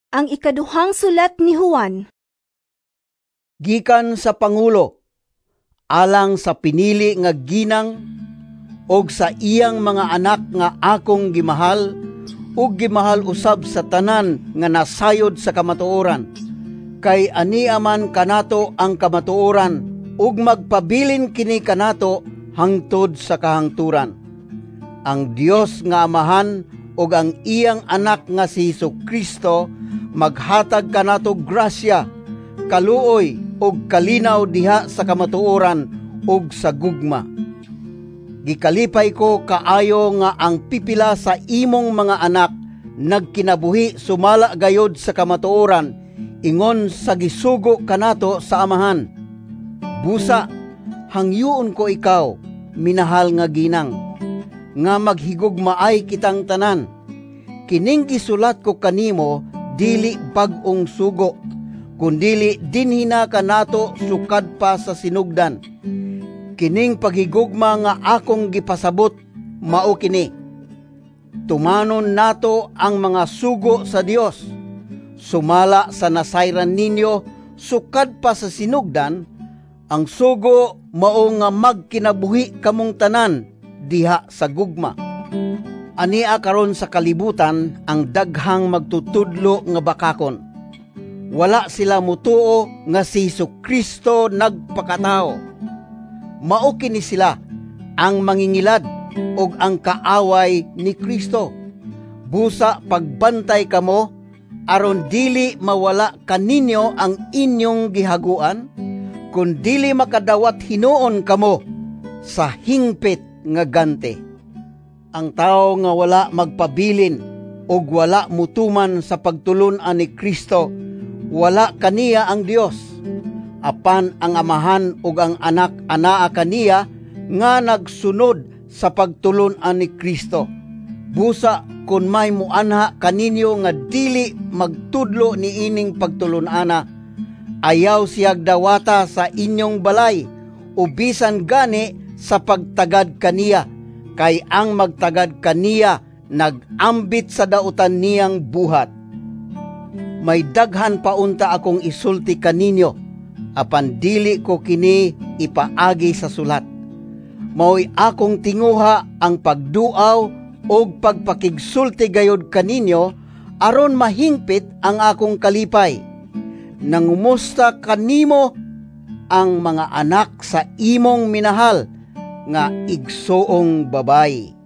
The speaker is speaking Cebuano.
Ang ikaduhang sulat ni Juan. Gikan sa pangulo, alang sa pinili nga ginang og sa iyang mga anak nga akong gimahal ug gimahal usab sa tanan nga nasayod sa kamatuoran, kay ania man kanato ang kamatuoran ug magpabilin kini kanato hangtod sa kahangturan. Ang Dios nga Amahan ug ang iyang Anak nga si Hesukristo maghatag kanato grasya, kaluoy ug kalinaw diha sa kamatuoran ug sa gugma. Gikalipay ko kaayo nga ang pipila sa imong mga anak nagkinabuhi sumala gayod sa kamatuoran, ingon sa gisugo kanato sa Amahan. Busa, hangyoon ko ikaw, minahal nga ginang, nga maghigugmaay kitang tanan. Kining gisulat ko kanimo dili bag-ong sugo, kundili dinhi na kanato sukad pa sa sinugdan. Kining paghigugma nga akong gipasabot mao kini: tumanon nato ang mga sugo sa Dios. Sumala sa nasayran ninyo sukad pa sa sinugdan, ang sugo mao nga magkinabuhi kamong tanan diha sa gugma. Ania karon sa kalibutan ang daghang magtutudlo nga bakakon. Wala sila mutuo nga si Hesukristo nagpakatawo. Mao kini sila ang mangingilad ug ang kaaway ni Kristo. Busa pagbantay kamo aron dili mawala kaninyo ang inyong gihaguan, kun dili makadawat hinuon kamo sa hingpit nga gante. Ang tawo nga wala magpabilin ug wala mutuman sa pagtulun-an ni Kristo, wala kaniya ang Dios. Apan ang Amahan ug ang Anak anaa kaniya nga nagsunod sa pagtulun-an ni Kristo. Busa kun may muanha kaninyo nga dili magtudlo niining pagtulun-ana, ayaw siyag dawata sa inyong balay o bisan gani sa pagtagad kaniya, kay ang magtagad kaniya nag-ambit sa dautan niyang buhat. May daghan pa unta akong isulti kaninyo, apan dili ko kini ipaagi sa sulat. Mao'y akong tinguha ang pagduaw ug pagpakigsulti gayod kaninyo aron mahingpit ang akong kalipay. Nangumusta kanimo ang mga anak sa imong minahal nga igsoong babay.